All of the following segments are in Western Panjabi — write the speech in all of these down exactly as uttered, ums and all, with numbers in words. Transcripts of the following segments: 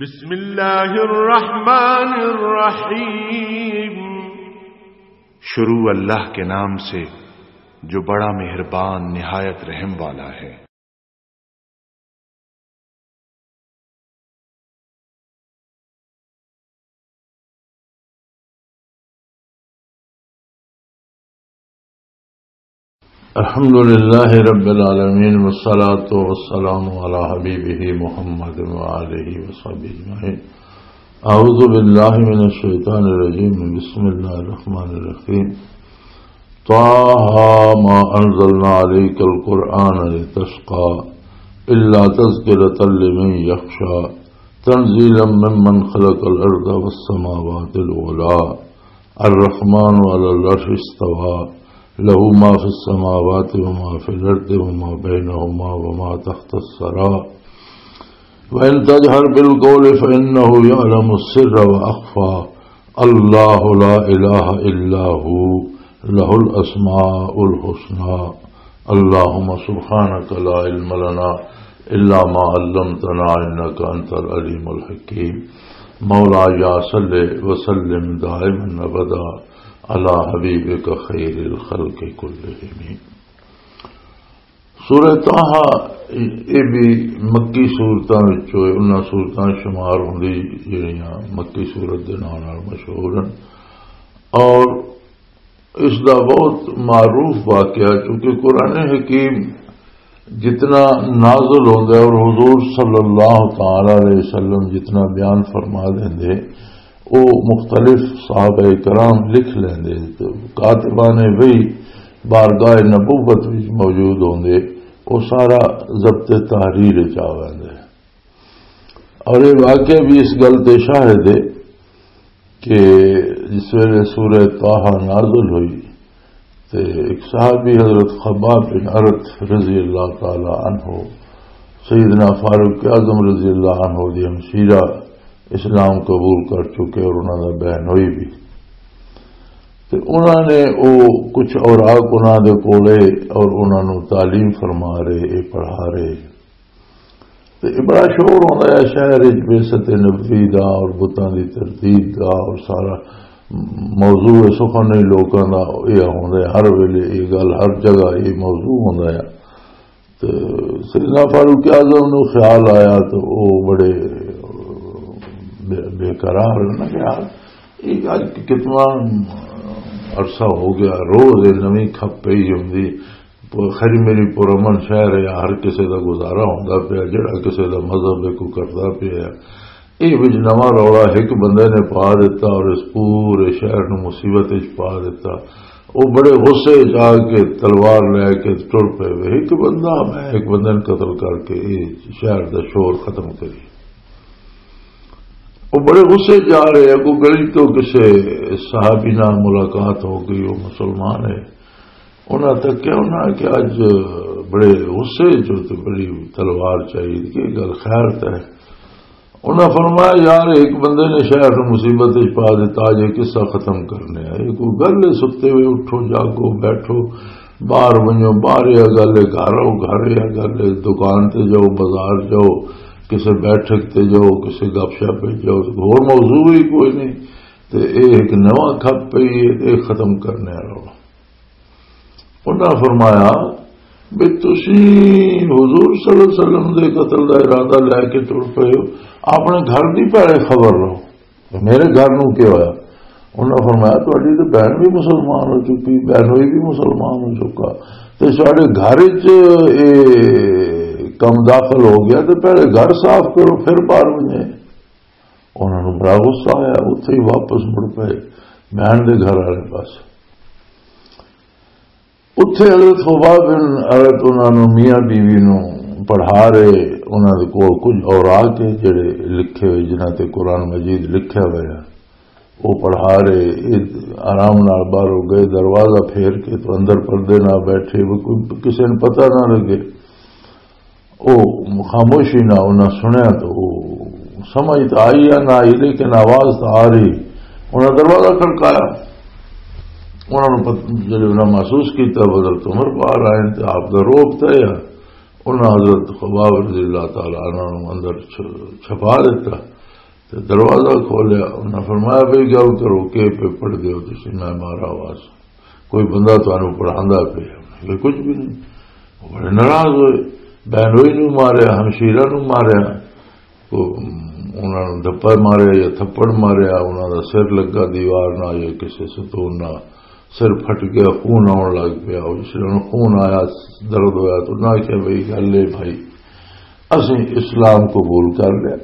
بسم اللہ الرحمن الرحیم۔ شروع اللہ کے نام سے، جو بڑا مہربان، نہایت رحم والا ہے۔ الحمد لله رب العالمين، والصلاة والسلام على حبيبه محمد وآله وصحبه أجمعين. أعوذ بالله من الشيطان الرجيم. بسم الله الرحمن الرحيم. طه ما أنزلنا عليك القرآن لتشقى إلا تذكرة لمن يخشى تنزيلا ممن خلق الأرض والسماوات العلى. الرحمن على العرش استوى، له ما في السماوات وما في الأرض وما بينهما وما تحت الثرى. وإن تجهر بالقول فإنه يعلم السر وأخفى. الله لا إله إلا هو، له الأسماء الحسنى. اللهم سبحانك لا علم لنا إلا ما علمتنا إنك أنت العليم الحكيم. مولاي صل وسلم دائما أبدا على حبيبك خير الخلق كلهم. سورہ طٰہٰ، یہ بھی مکی سورتاں وچوں ہے، انہاں سورتاں شمار ہوندی جڑیاں مکی سورت دے ناں نال مشہور ہیں۔ اور اس دا بہت معروف واقعہ، چونکہ قرآن حکیم جتنا نازل ہوندا ہے اور حضور صلی اللہ تعالی علیہ وسلم جتنا بیان فرما دیندے، وہ مختلف صحابہ کرام لکھ لیندے۔ تو کاتبان وحی بارگاہ نبوت وچ موجود ہوندے، وہ سارا ضبط تحریر وچ آ ویندے۔ اور یہ واقعہ بھی اس گل تے شاہد ہے کہ جس ویلے سورہ طٰہٰ نازل ہوئی تے ایک صحابی حضرت خباب بن ارت رضی اللہ تعالی عنہ، سیدنا فاروق اعظم رضی اللہ عنہ دی ہمشیرہ، اسلام قبول کر چکے اور انہاں دا بہنوئی بھی۔ تے انہاں نے او کچھ اوراق انہاں دے کولے اور انہاں نوں تعلیم فرما رہے، اے پڑھا رہے۔ تے اے بڑا شور ہوندا ہے شہر وچ، بعثت نبوی دا اور بتاں دی تردید دا اور سارا موضوع سخن ہی لوکاں دا اے ہوندا ہے، ہر ویلے اے گل، ہر جگہ اے موضوع ہوندا ہے۔ تے سیدنا فاروق اعظم نو خیال آیا تو او بڑے بے، بے قرار نہ کہ یار، اے اج کتنا عرصہ ہو گیا، روز اے نویں کھپ پئی ہوندی۔ خیر میری پرامن شہر ہے، ہر کسے دا گزارا ہوندا پیا، جڑا کسے دا مذہب ہے، کوئی کردا پیا ہے۔ اے وچ نواں رولا ایک بندے نے پا دیتا اور اس پورے شہر نو مصیبت وچ پا دیتا۔ وہ بڑے غصے وچ آ کے تلوار لے کے ٹر پے وے۔ ایک بندہ، میں ایک بندے نے قتل کر کے اے شہر دا شور ختم کری۔ وہ بڑے غصے وچ آ رہے، اگوں گلی تو کسے صحابی نال ملاقات ہو گئی، وہ مسلمان ہے۔ انہاں تکیا، انہاں کہ اج بڑے غصے چ تے بڑی تلوار چاہیے، کہ گل خیر تے ہے۔ انہاں فرمایا، یار، ایک بندے نے شہر نوں مصیبت وچ پا دتا، اج یہ قصہ ختم کرنے آ۔ یہ کوئی گل ہے؟ ستے ہوئے اٹھو، جاگو، بیٹھو، باہر ونجو، باہر یہ گل ہے، گھر آؤ، گھر یہ گل ہے، دکان تے جاؤ، بازار جاؤ، کسے بیٹھک تے جاؤ، کسے گپ شپ وچ جاؤ، ہور موضوع ہی کوئی نہیں۔ تے اے ایک نواں کھپ پئی ہے، تے اے ختم کرنے والا وا۔ انہاں فرمایا، بھی تسی حضور صلی اللہ علیہ وسلم دے قتل دا ارادہ لے کے ٹر پئے ہو، اپنے گھر دی پہلے خبر لو، میرے گھر نوں کی ہویا؟ انہاں فرمایا، تہاڈی تے بہن بھی مسلمان ہو چکی، بہنوئی بھی مسلمان ہو چکا، تے ساڈے گھر وچ اے کم داخل ہو گیا، تے پہلے گھر صاف کرو، پھر باہر ونجے۔ انہاں نوں بڑا غصہ آیا، اتھے ہی واپس مڑ پئے بہن دے گھر والے پاس۔ اتھے حضرت خباب بن ارت انہاں نوں، میاں بیوی نوں پڑھا رہے، انہاں دے کول کچھ اوراق ہے جڑے لکھے ہوئے، جنہاں تے قرآن مجید لکھیا ہوا ہے، وہ پڑھا رہے۔ یہ آرام نال باہروں گئے، دروازہ پھیر کے تو اندر پردے نال بیٹھے، وہ کوئی، کسے نوں پتہ نہ لگے۔ او خاموشی نہ انہاں سنیا تو او سمجھ تو آئی یا نہ آئی، لیکن آواز تو آ رہی۔ انہاں دروازہ کھڑکایا۔ انہاں نوں پت-، جدوں انہاں محسوس کیتا، حضرت عمر باہر آئے تے آپ دا روب طے آ۔ انہاں حضرت خباب رضی اللہ تعالی عنہ نوں اندر چ-، چھپا دیتا۔ دروازہ کھولیا، انہاں فرمایا، "بھئی، گل کرو، کی پہ پڑھ دیو تسی؟ میں مارا آواز، کوئی بندہ تانوں پڑھاندا پیا۔" یہ کچھ بھی نہیں۔ وہ بڑے ناراض ہوئے، بہنوئی نوں ماریا، ہمشیرہ نوں ماریا، وہ انہاں نوں دھپا ماریا یا تھپڑ ماریا، انہاں دا سر لگا دیوار نال یا کسے ستون نال، سر پھٹ گیا، خون آن لگ پیا۔ اور جس ویلے خون آیا، درد ہویا، تو انہاں آکھیا، "بھئی، گل اے بھائی، اسیں اسلام قبول کر لیا،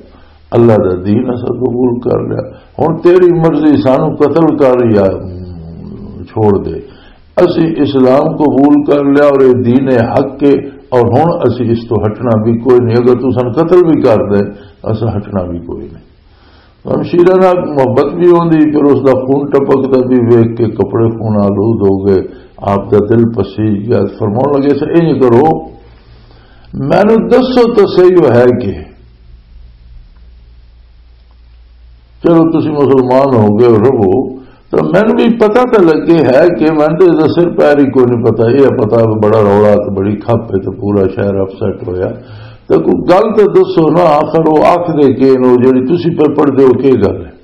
اللہ دا دین اساں قبول کر لیا، ہن تیری مرضی، سانو قتل کر یا، م، چھوڑ دے، اسیں اسلام قبول کر لیا اور یہ دین حق ہے، اور ہن اسیں اس تو ہٹنا بھی کوئی نہیں، اگر تو سن قتل بھی کر دے، اساں ہٹنا بھی کوئی نہیں۔" ہمشیرہ نال محبت بھی ہوندی، پھر اس دا خون ٹپکدا بھی ویکھ کے کپڑے خون آلود ہو گئے، آپ دا دل پسیج گیا۔ فرماؤن لگے، "سر، انج کرو، مینوں دسو تو صحیح، وہ ہے کہ؟ چلو، تسی مسلمان ہو گئے، رہو، تو مینوں بھی پتہ تو لگے ہے کہ مینوں تو اس دا سر پیر ہی کوئی نہیں پتہ۔ یہ پتہ بڑا رولا، تو بڑی کھپ ہے، تو پورا شہر اپسیٹ ہویا۔ تو کوئی گل تو دسو نا، آخر وہ آکھدے کہ نو جڑی تسی پہ پڑھ دے ہو، کی گل ہے؟"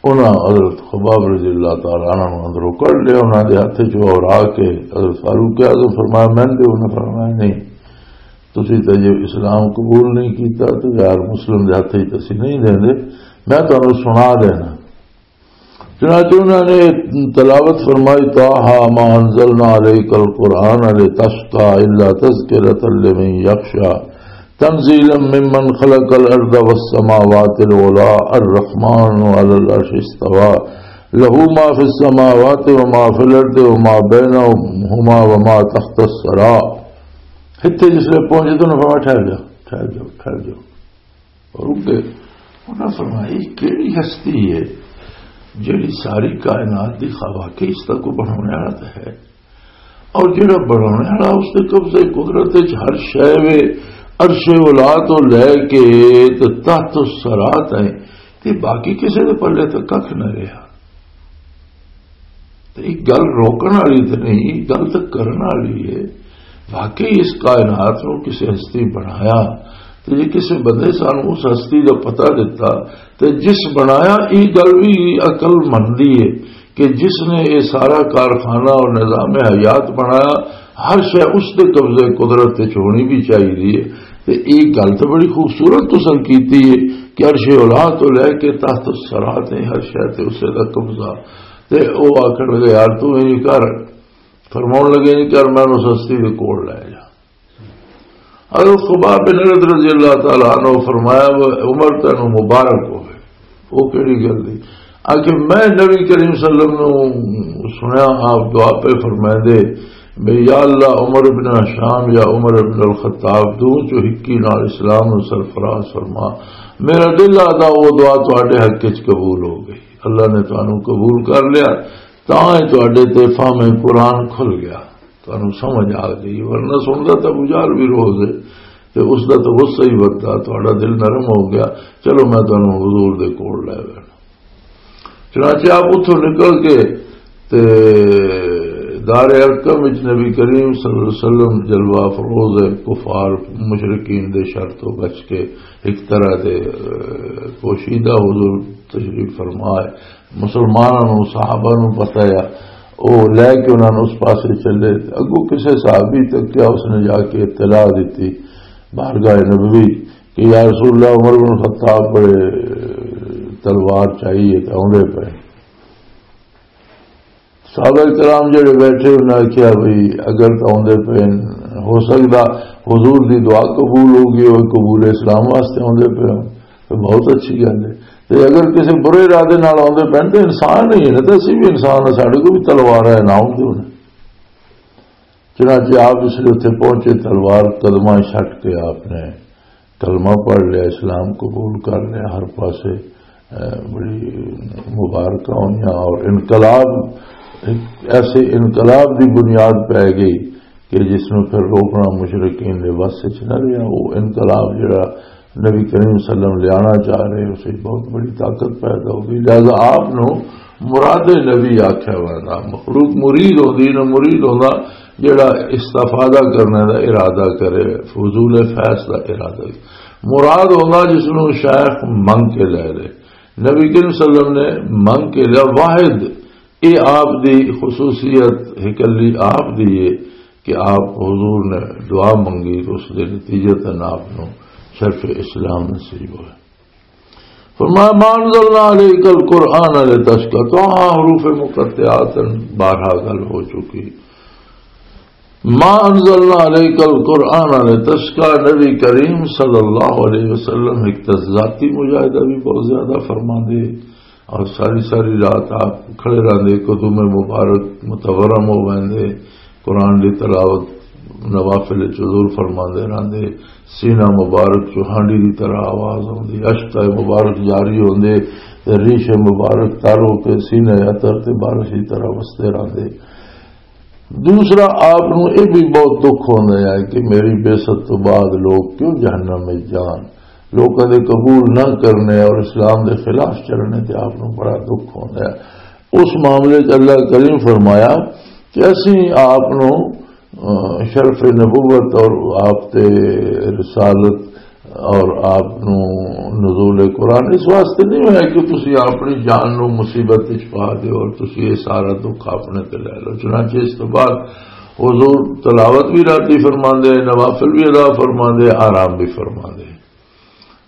انہاں حضرت خباب رضی اللہ تعالیٰ عنہ نوں اندروں کڈ لیا، انہاں دے ہتھ چوں اور آ کے حضرت فاروق اعظم فرمایا، "میں دے۔" انہاں فرمایا، "نہیں، تسی تے جو اسلام قبول نہیں کیتا، تو غیر مسلم دے ہتھ وچ اسی نہیں دیندے، میں تانوں سنا دینا۔" چنانچہ انہاں نے تلاوت فرمائی، "طٰہٰ مٰا أَنزَلْنَا عَلَيْكَ الْقُرْآنَ لِتَشْقَىٰ إِلَّا تَذْكِرَةً لِمَن يَخْشَىٰ تَنزِيلًا مِّمَّنْ خَلَقَ الْأَرْضَ وَالسَّمَاوَاتِ الْعُلَىٰ الرَّحْمَٰنُ عَلَى الْعَرْشِ اسْتَوَىٰ لَهُ مَا فِي السَّمَاوَاتِ وَمَا فِي الْأَرْضِ وَمَا بَيْنَهُمَا وَمَا تَحْتَ الثَّرَىٰ۔" اتھے جس لے پہنچے تو انہاں فرمایا، "ٹھہر جاؤ، ٹھہر جاؤ، ٹھہر جاؤ۔" اور رک گئے۔ انہاں فرمایا، "یہ کیڑی ہستی ہے جڑی ساری کائنات دی خواہ واقعی اس دا کوئی بنانے والا تو ہے؟ اور جڑا بنانے والا اس دے قبضے قدرت وچ ہر شے وے، عرش اولا تو لے کے تے تحت الثریٰ تائیں، تے باقی کسے دے پلے تے ککھ نہ رہیا۔" تے ایک گل روکن والی تے نہیں، ایک گل تے کرن والی ہے۔ واقعی اس کائنات نو کسے ہستی بنایا، تے جے کسے بندے سانو اس ہستی دا پتہ دتا، تے جس بنایا، یہ گل بھی عقل مندی ہے کہ جس نے یہ سارا کارخانہ اور نظام حیات بنایا، ہر شے اس دے قبضے قدرت وچ ہونی بھی چاہیے۔ تے یہ گل تو بڑی خوبصورت تساں کیتی ہے کہ عرش اولا تو لے کے تحت الثریٰ تے ہر شے تے اسے دا قبضہ۔ تے او آکھن لگے، "یار، تو انج کر۔" فرماؤن لگے، "انج کر، میں اس ہستی دے کول لے جا۔" حضرت خباب بن عرد رضی اللہ تعالیٰ عنہ فرمایا، "وہ عمر تینوں مبارک ہوئے۔" وہ کیڑی گل دی؟ آ کہ میں نبی کریم صلی اللہ علیہ وسلم نوں سنیا، آپ دعا پہ فرمائے دے، "بھئی یا اللہ، عمر ابن ہشام یا عمر ابن الخطاب، دو چوں ہکی نال اسلام نوں سرفراز فرما۔" میرا دل آدا، وہ دعا تواڈے حق وچ قبول ہو گئی، اللہ نے تانوں قبول کر لیا۔ تاں اے تہاڈے تے فہم قرآن کھل گیا، تانوں سمجھ آ گئی، ورنہ سندا تاں ابو جہل بھی روز ہے، تے اس دا تاں غصہ ہی وددا، تہاڈا دل نرم ہو گیا۔ چلو میں تانوں حضور دے کول لے گیا۔ چنانچہ آپ اتھوں نکل کے تے دار ارقم وچ نبی کریم صلی اللہ علیہ وسلم جلوہ افروز ہے، کفار مشرکین دے شر تو بچ کے ایک طرح دے، اے، پوشیدہ حضور تشریف فرما ہے۔ مسلماناں نوں، صحابہ نوں پتہ ہے، او لے کے انہاں نوں اس پاسے چلے۔ اگوں کسے صحابی تک کیا، اس نے جا کے اطلاع دتی بارگاہ نبوی کہ یا رسول اللہ، عمر بن خطاب بڑے تلوار چاہیے تے آوندے پئے۔ صحابہ کرام جڑے بیٹھے، انہاں نے کہا، "بھئی، اگر تو آوندے پئے، ہو سکدا حضور دی دعا قبول ہو گئی ہوئے، قبول اسلام واسطے آوندے پئے ہو، تو بہت اچھی گل ہے۔ تے اگر کسی برے ارادے نال آوندے پئے، تو انسان ہی ہے نا، تو اسی بھی انسان ہے، ساڈے کو بھی تلوار ہے، نہ آوندے ہونے۔" چنانچہ آپ اس لیے اتنے پہنچے، تلوار قدماں چھٹ کے آپ نے کلمہ پڑھ لیا، اسلام قبول کر لیا۔ ہر پاسے، اے، بڑی مبارکاں ہوئیاں اور انقلاب، ایک ایسے انقلاب دی بنیاد پہ گئی کہ جس نوں پھر روکنا مشرکین دے بس وچ نہ رہیا۔ وہ انقلاب جڑا نبی کریم صلی اللہ علیہ وسلم لیانا چاہ رہے، اسے بہت بڑی طاقت پیدا ہو گئی۔ لہذا آپ نوں مراد نبی آکھیا ہوا تھا۔ مخلوق مرید ہوندی نہ، مرید ہوندا جڑا استفادہ کرنے دا ارادہ کرے، فضول فیض دا ارادہ۔ مراد ہوندا جس نوں شیخ منگ کے لے لے۔ نبی کریم صلی اللہ علیہ وسلم نے منگ کے لیا۔ واحد، اے آپ دی خصوصیت، ہکلی آپ دی ہے کہ آپ حضور نے دعا منگی تو اس دے نتیجتاً آپ نوں شرف اسلام نصیب ہویا۔ فرمایا، "ما انزلنا علیک القرآن لتشقی"، تو ہاں، حروف مقطعات بارہا گل ہو چکی۔ "ما انزلنا علیک القرآن لتشقی"، نبی کریم صلی اللہ علیہ وسلم ایک ذاتی مجاہدہ بھی بہت زیادہ فرما دے، اور ساری ساری رات آپ کھڑے رہندے، قدم مبارک متورم ہو ویندے، قرآن دی تلاوت نوافل وچ حضور فرماندے رہندے، سینہ مبارک چوہانڈی دی طرح آواز ہوندی، اشکائے مبارک جاری ہوندے تے ریش مبارک تر ہو کے سینہ عطر تے بارش دی طرح وسدے رہندے۔ دوسرا، آپ نوں یہ بھی بہت دکھ ہوندا ہے کہ میری بعثت تو بعد لوگ کیوں جہنم میں جان، لوکاں دے قبول نہ کرنے اور اسلام دے خلاف چلنے تے آپ نوں بڑا دکھ ہوندا ہے۔ اس معاملے چ اللہ کریم فرمایا کہ اسی آپ نوں، آ، شرف نبوت اور آپ تے رسالت اور آپ نوں نزول قرآن اس واسطے نہیں ہویا کہ تسی اپنی جان نوں مصیبت وچ پا دیو اور تسی یہ سارا دکھ اپنے تے لے لو۔ چنانچہ اس تو بعد حضور تلاوت بھی راتی فرماندے، نوافل بھی ادا فرماندے، آرام بھی فرماندے۔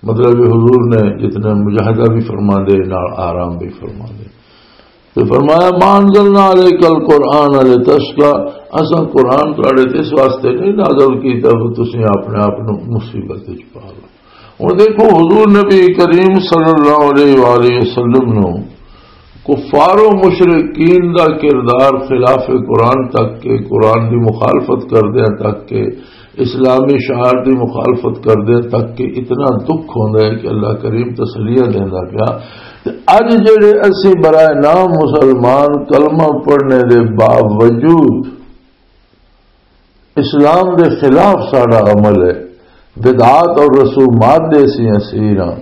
مطلب، یہ حضور نے جتنے مجاہدہ بھی فرماندے، نال آرام بھی فرماندے۔ تو فرمایا، "ما انزلنا علیک القرآن لتشقی"، اساں قرآن تواڈے تے اس واسطے نہیں نازل کیتا کہ تسی اپنے آپ نوں مصیبت وچ پا لو۔ ہن دیکھو، حضور نبی کریم صلی اللہ علیہ وآلہ وسلم نوں کفار و مشرکین دا کردار خلاف قرآن تک کے، قرآن دی مخالفت کردیاں تک کے، اسلامی شعار دی مخالفت کردیاں تک کے اتنا دکھ ہوندا ہے کہ اللہ کریم تسلیاں دیندا پیا۔ تے اج جڑے اسی برائے نام مسلمان کلمہ پڑھنے دے باوجود اسلام دے خلاف ساڈا عمل ہے، بدعات اور رسومات دے اسی اسیر ہاں،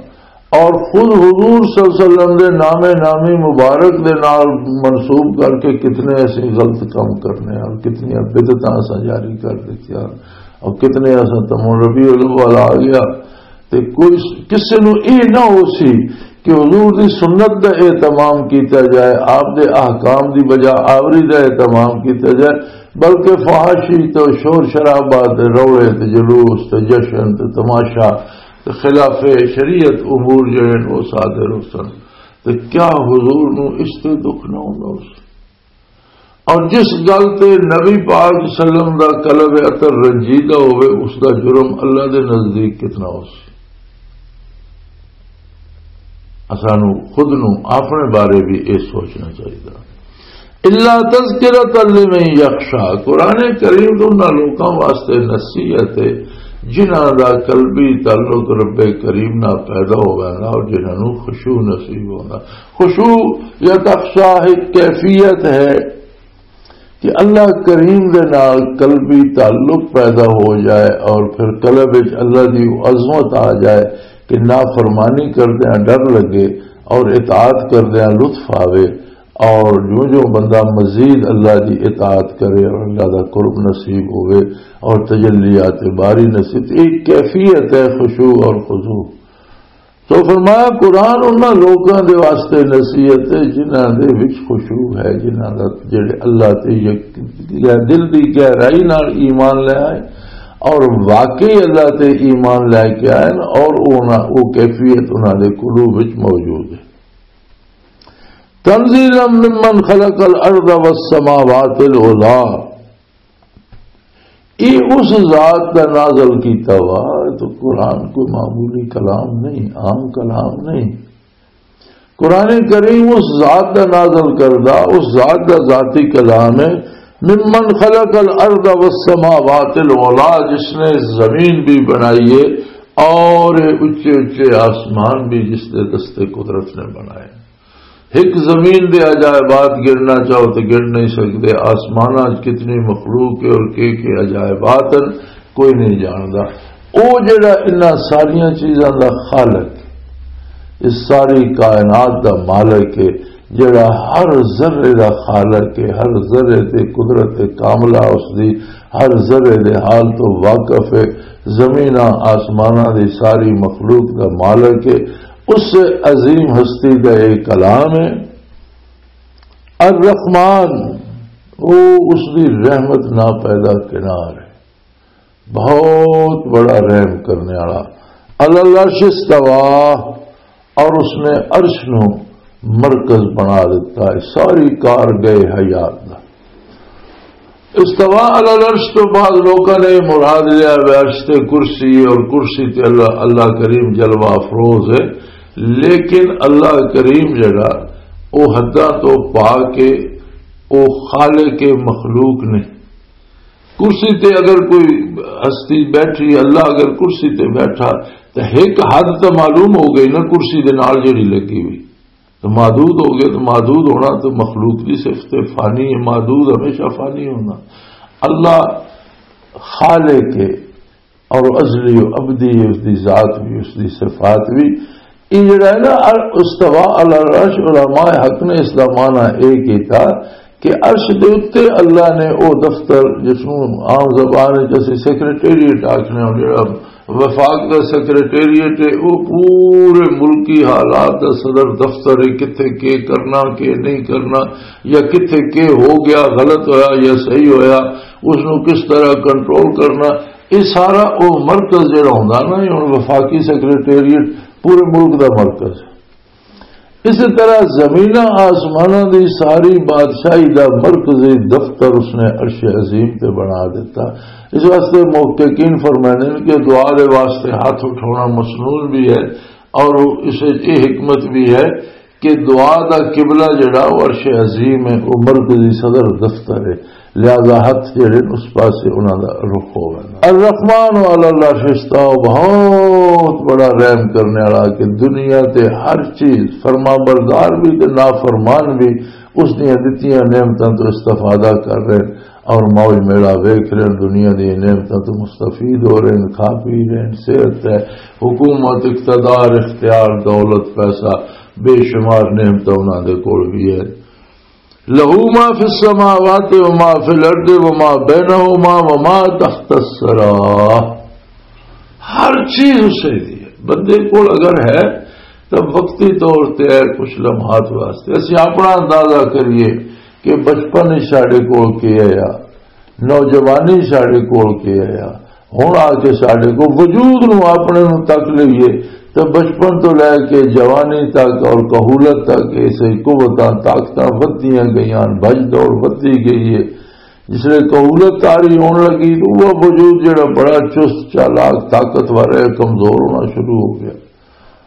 اور خود حضور صلی اللہ علیہ وسلم دے نام نامی مبارک دے نال منسوب کر کے کتنے اسی غلط کام کرنے ہاں اور کتنی بدعتاں اساں جاری کر دتیاں اور کتنے اساں تمون ربیع الاول آ گیا۔ تے کوئی کسے نوں اے نہ ہو سی کہ حضور دی سنت دا اہتمام کیتا جائے، آپ دے احکام دی بجا آوری دا اہتمام کیتا جائے، بلکہ فحاشی تے شور شرابہ تے روڑے تے جلوس تے جشن تے تماشا تے خلاف شریعت امور جڑے نے وہ صادر ہو سن۔ تے کیا حضور نوں اس تے دکھ نہ ہوندا ہو سی؟ اور جس گل تے نبی پاک صلی اللہ علیہ وسلم دا قلب اطہر رنجیدہ ہوئے، اس دا جرم اللہ دے نزدیک کتنا ہو سی؟ اسانو خود نو اپنے بارے بھی یہ سوچنا چاہیے۔ الا تذکرۃ لمن یخشی، قرآن کریم تو انہاں لوکاں واسطے نصیحت ہے جنہاں دا قلبی تعلق رب کریم نال پیدا ہو ویندا اور جنہاں نو خشوع نصیب ہوندا۔ خشوع یا تخشع ایک کیفیت ہے کہ اللہ کریم دے نال قلبی تعلق پیدا ہو جائے اور پھر قلب وچ اللہ دی عظمت آ جائے کہ نافرمانی کردیاں ڈر لگے اور اطاعت کردیاں لطف آوے، اور جو جو بندہ مزید اللہ دی اطاعت کرے اور اللہ دا قرب نصیب ہوئے اور تجلیات باری نصیب، ایک کیفیت ہے خشوع اور خضوع۔ تو فرمایا، قرآن انہاں لوکاں دے واسطے نصیحت ہے جنہاں دے وچ خشوع ہے، جنہاں دا جڑے اللہ تے یک-، دل دی گہرائی نال ایمان لے آئے اور واقعی اللہ تے ایمان لے کے آئے نا، اور انہاں، وہ کیفیت انہاں دے قلوب وچ موجود ہے۔ تنزیلا ممن خلق الارض والسماوات العلی، یہ اس ذات کا نازل کیتا ہوا۔ تو قرآن کوئی معمولی کلام نہیں، عام کلام نہیں۔ قرآن کریم اس ذات کا نازل کردہ، اس ذات کا ذاتی کلام ہے۔ ممن خلق الارض والسماوات العلی، جس نے زمین بھی بنائی ہے اور اچے اچے آسمان بھی جس نے دست قدرت نے بنائے۔ ایک زمین دے عجائبات گننا چاہو تو گن نہیں سکتے، آسماناں وچ کتنی مخلوق ہے اور کے کے عجائبات ہیں، کوئی نہیں جاندا۔ او جڑا انہاں ساریاں چیزاں دا خالق، اس ساری کائنات دا مالک ہے، جڑا ہر ذرے دا خالق ہے، ہر ذرے تے قدرت کاملہ اس دی، ہر ذرے دے حال تو واقف ہے، زمیناں آسماناں دی ساری مخلوق دا مالک ہے، اس عظیم ہستی دا ایک کلام ہے۔ الرحمن، او اس دی رحمت نا پیدا کنار ہے، بہت بڑا رحم کرنے والا۔ علی العرش استوا، اور اس نے عرش نو مرکز بنا دیتا ہے، ساری کار گئے حیات دا۔ استوا علی العرش تو بعد لوگوں نے مراد لیا ہے عرش تے کرسی، اور کرسی تے اللہ، اللہ کریم جلوہ افروز ہے، لیکن اللہ کریم جڑا، او حداں تو پا کے، او خالق مخلوق نہیں۔ کرسی تے اگر کوئی ہستی بیٹھی، اللہ اگر کرسی تے بیٹھا، تو ایک حد تو معلوم ہو گئی نا، کرسی دے نال جڑی لگی ہوئی، تو محدود ہو گئے۔ تو محدود ہونا تو مخلوق کی صفت فانی ہے، محدود ہمیشہ فانی ہونا۔ اللہ خالق ہے، اور ازلی و ابدی ہے، اس دی ذات بھی، اس دی صفات بھی۔ یہ جڑا ہے نا، ال-، استوا علی العرش، علماء حق نے اس دا معنی اے کیتا کہ عرش دے اُتے اللہ نے او دفتر، جس نوں عام زبان وچ اسی سیکرٹریٹ آکھنے ہاں، جڑا وفاق دا سیکرٹریٹ ہے، او پورے ملکی حالات دا صدر دفتر ہے، کتھے کے کرنا، کے نہیں کرنا، یا کتھے کے ہو گیا، غلط ہویا یا صحیح ہویا، اس نوں کس طرح کنٹرول کرنا، یہ سارا او مرکز جڑا ہوندا نا، یہ ہن وفاقی سیکرٹریٹ پورے ملک دا مرکز ہے۔ اسی طرح زمیناں آسماناں دی ساری بادشاہی دا مرکزی دفتر اس نے عرش عظیم تے بنا دیتا۔ اس واسطے محققین فرماندے نے کہ دعا دے واسطے ہاتھ اٹھانا مسنون بھی ہے، اور اس وچ یہ حکمت بھی ہے کہ دعا دا قبلہ جڑا، وہ عرش عظیم ہے، وہ مرکزی صدر دفتر ہے، لہذا ہاتھ جڑے نے، اس پاسے انہاں دا رخ ہووے۔ الرحمن علی العرش استوى، بہت بڑا رحم کرنے والا کہ دنیا تے ہر چیز، فرما بردار بھی تے نافرمان بھی، اس دیاں دتیاں نعمتاں تو استفادہ کر رہے ہیں اور موج میڑا ویکھ رہے ہیں، دنیا دی نعمتاں تو مستفید ہو رہے ہیں، کھا پی رہے ہیں، صحت ہے، حکومت، اقتدار، اختیار، دولت، پیسہ، بے شمار نعمتاں انہاں دے کول بھی ہے۔ لہو ما فی السماوات و ما فی الارض و ما بینہما و ما تحت الثری۔ ہر چیز اسے دی ہے۔ بندے کول اگر ہے تو وقتی طور تے ہے، کچھ لمحات واسطے۔ اسی اپنا اندازہ کریے کہ بچپن وچ ساڈے کول کی آیا، نوجوانی ساڈے کول کی آیا، ہن آ کے ساڈے کول وجود نو اپنے نو تک لئیے، تے بچپن تو لے کے جوانی تک اور کہولت تک ایسے قوتاں، طاقتاں ودھدیاں گئیاں، بھج دوڑ ودھدی گئی ہے۔ جس لئے کہولت طاری ہون لگی تو وہ وجود جڑا بڑا چست، چالاک، طاقتور ہے، کمزور ہونا شروع ہو گیا۔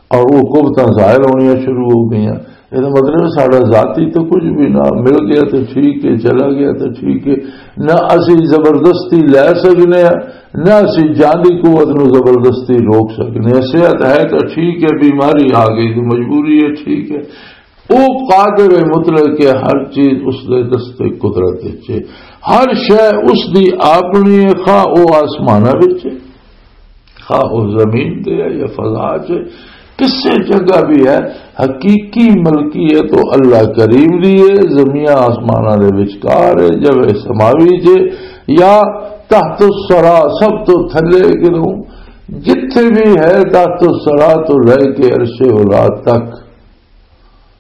اور وہ قوتاں ظاہر ہونیاں شروع ہو گئیاں۔ یہ تو مطلب ہے ساڈا ذاتی تو کچھ بھی نہ، مل گیا تو ٹھیک ہے، چلا گیا تو ٹھیک ہے۔ نہ اسی زبردستی لے سکنے ہیں، نہ اسی جانی قوت نو زبردستی روک سکنے ہیں۔ صحت ہے تو ٹھیک ہے، بیماری آ گئی تو مجبوری ہے، ٹھیک ہے۔ وہ قادر مطلق ہے، ہر چیز اس دے دست قدرت وچ ہے، ہر شے اس دی اپنی ہے، خواہ وہ آسمانہ وچ ہے، خواہ وہ زمین تے ہے یا فضا چ، کسے جگہ بھی ہے، حقیقی ملکیت تو اللہ کریم دی ہے، زمین آسماناں دے وچکار ہے، جب سماوی چ یا تحت الثری، سب تو تھلے کدوں، جتھے بھی ہے تحت الثری تو لے کے عرش اولا تک۔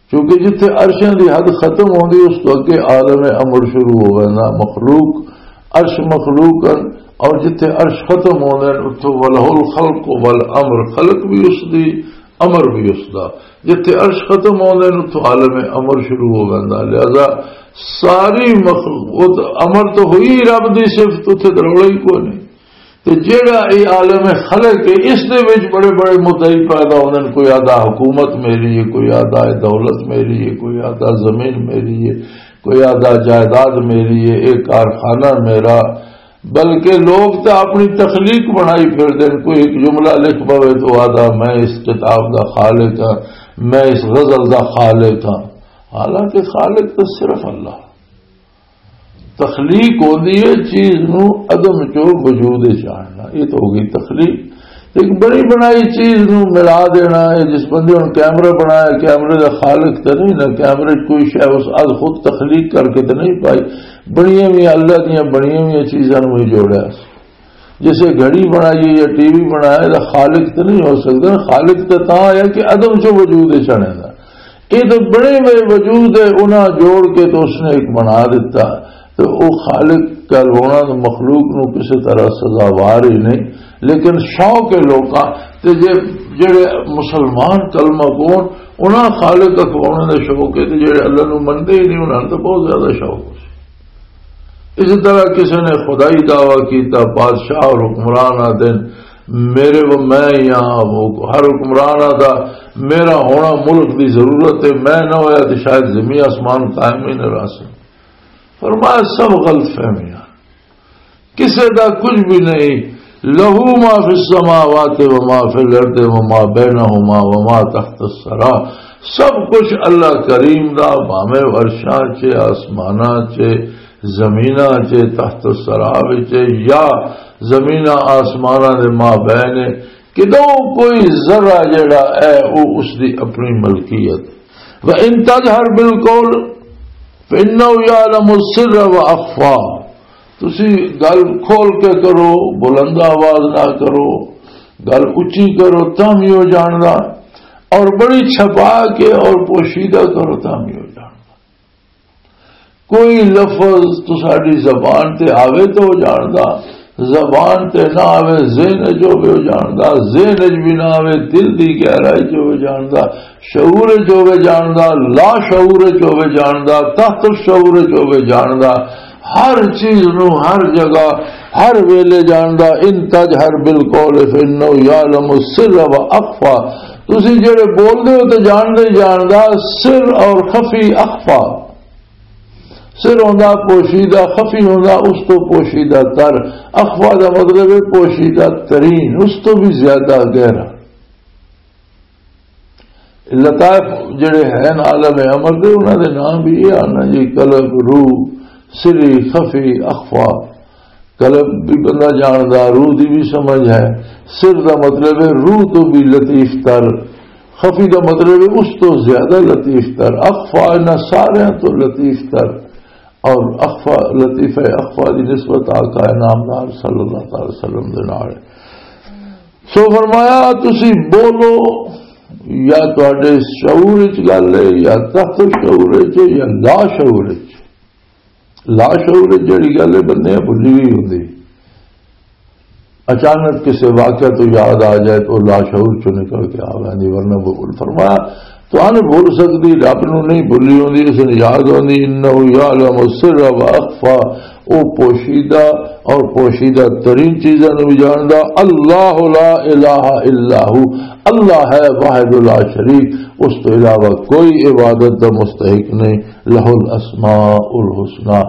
کیونکہ جتھے عرشاں دی حد ختم ہوندی، اس تو اگے عالم امر شروع ہو ویندا، مخلوق، عرش مخلوق ہن، اور جتھے عرش ختم ہوندے نے، اتھوں وَلَهُ الْخَلْقُ وَالْأَمْرُ، خلق بھی اس دی، امر بھی اس دا۔ جتھے عرش ختم ہوندے نے، اتھوں عالم امر شروع ہو ویندا۔ لہذا ساری مخلوق، وہ تو امر تو ہوئی رب دی صفت، اتھے تو رولا ہی کوئی نہیں۔ تے جیڑا اے عالم خلق ہے، اس دے وچ بڑے بڑے مدعی پیدا ہوندے نے۔ کوئی آدھا حکومت میری ہے، کوئی آدھا اے دولت میری ہے، کوئی آدھا زمین میری ہے، کوئی آدھا جائیداد میری ہے، اے کارخانہ میرا۔ بلکہ لوگ تے اپنی تخلیق بنائی پھر دے نے۔ کوئی ایک جملہ لکھ پوے تو آدھا، "میں اس کتاب دا خالق ہاں، میں اس غزل دا خالق ہاں۔" حالانکہ خالق تو صرف اللہ۔ تخلیق ہوندی ہے چیز نو عدم چو وجود وچ آننا، یہ تو ہو گئی تخلیق۔ ایک بنی بنائی چیز نو ملا دینا ہے۔ جس بندے ہن کیمرہ بنایا، کیمرے دا خالق تے نہیں نا، کیمرے 'چ کوئی شے اس از خود تخلیق کر کے تے نہیں پائی، بنیاں ہوئی اللہ دیاں بنیاں ہوئی چیزاں نو ہی جوڑیا۔ جسے گھڑی بنائی ہے یا ٹی وی بنایا، دا خالق تے نہیں ہو سکدا۔ خالق تے تاں آیا کہ عدم چوں وجود وچ آنے دا۔ یہ تو بنے ہوئے وجود ہے، انہاں جوڑ کے تو اس نے ایک بنا دیتا۔ تو وہ خالق کہلوانا تو مخلوق نو کسی طرح سزاوار ہی نہیں، لیکن شوق ہے لوکاں تے جے، جڑے مسلمان کلمہ کون، انہاں خالق اکھوانا دا شوق ہے، تے جڑے اللہ نو منتے ہی نہیں، انہاں نوں تو بہت زیادہ شوق ہو سی۔ اسی طرح کسی نے خدائی دعویٰ کیتا، بادشاہ اور حکمران آتے ہیں، میرے وہ میں ہی ہاں، وہ ہر حکمران آتا، میرا ہونا ملک دی ضرورت ہے، میں نہ ہویا تو شاید زمین آسمان قائم ہی نہ رہ سکتا۔ فرمایا، سب غلط فہمیاں، کسے دا کچھ بھی نہیں۔ لہو ما فی السماوات و ما فی الارض و ما بینہما و ما تحت الثری۔ سب کچھ اللہ کریم دا، بھاویں عرشاں چے، آسماناں چے، زمیناں چے، تحت الثری وچ یا زمیناں آسماناں دے ما بین، کدوں کوئی ذرہ جڑا ہے، وہ اس دی اپنی ملکیت۔ وَإِن تَجْهَرْ بِالْقَوْلِ فَإِنَّهُ يَعْلَمُ السِّرَّ وَأَخْفَى۔ تسی گل کھول کے کرو، بلند آواز نہ کرو، گل اچی کرو، تاں بھی وہ جاندا، اور بڑی چھپا کے اور پوشیدہ کرو، تاں بھی وہ جاندا۔ کوئی لفظ تساڈی زبان تے آوے تو وہ جاندا، زبان تے نہ آوے، ذہن وچ ہووے وہ جاندا، ذہن وچ بھی نہ آوے، دل دی گہرائی چ ہووے جاندا، شعور وچ ہووے جاندا، لا شعور وچ ہووے جاندا، تحت الشعور وچ ہووے جاندا، ہر چیز نو ہر جگہ ہر ویلے جاندا۔ ان تجہر بالقول فانه یعلم السر و اخفی۔ تسی جڑے بول دے ہو تے جاندا ہی جاندا سر اور خفی اخفی۔ سر ہوندا پوشیدہ، خفی ہوندا اس تو پوشیدہ تر۔ اخفی دا مطلب ہے پوشیدہ ترین، اس تو بھی زیادہ گہرا۔ لطائف جڑے ہیں عالم امر دے، انہاں دے نام بھی یہ آنا جی، قلب، روح، سری، خفی، اخفی۔ قلب بھی بندہ جاندا، روح دی بھی سمجھ ہے۔ سر دا مطلب ہے روح تو بھی لطیف تر، خفی دا مطلب ہے اس تو زیادہ لطیف تر، اخفی انہاں سارے تو لطیف تر۔ اور اخفی، لطیفہ اخفی دی نسبت آقا نامدار صلی اللہ تعالی وسلم دے نال ہے۔ سو فرمایا، تسی بولو، یا تہاڈے شعور وچ گل ہے، یا تحت شعور وچ ہے، یا لا شعور وچ۔ لا شعور وچ جڑی گل ہے، بندے بھلی ہوئی ہوندی، اچانک کسے واقعہ تو یاد آ جائے تو لا شعور چوں نکل کے آ ویندی، ورنہ وہ فرمایا، تو ان بھول سکدی، رب نو نہیں بھلی ہوندی، اس نے یاد ہوندی۔ انہ یعلم السر و اخفی، او پوشیدہ اور پوشیدہ ترین چیزاں نو بھی جاندا۔ اللہ لا الہ الا ہو، اللہ ہے واحد لا شریک، اس تو علاوہ کوئی عبادت دا مستحق نہیں۔ لہ الاسماء الحسنی،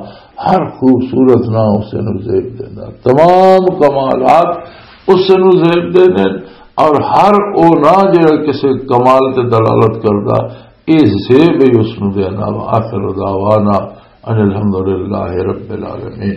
ہر خوبصورت نام اسے نو زیب دیندا، تمام کمالات اسے نو زیب دیندے نے، اور ہر او نام جڑا کسے کمال تے دلالت کردا، اے زیب ہی اس نو دینا۔ وآخر دعوانا ان الحمدللہ رب العالمین۔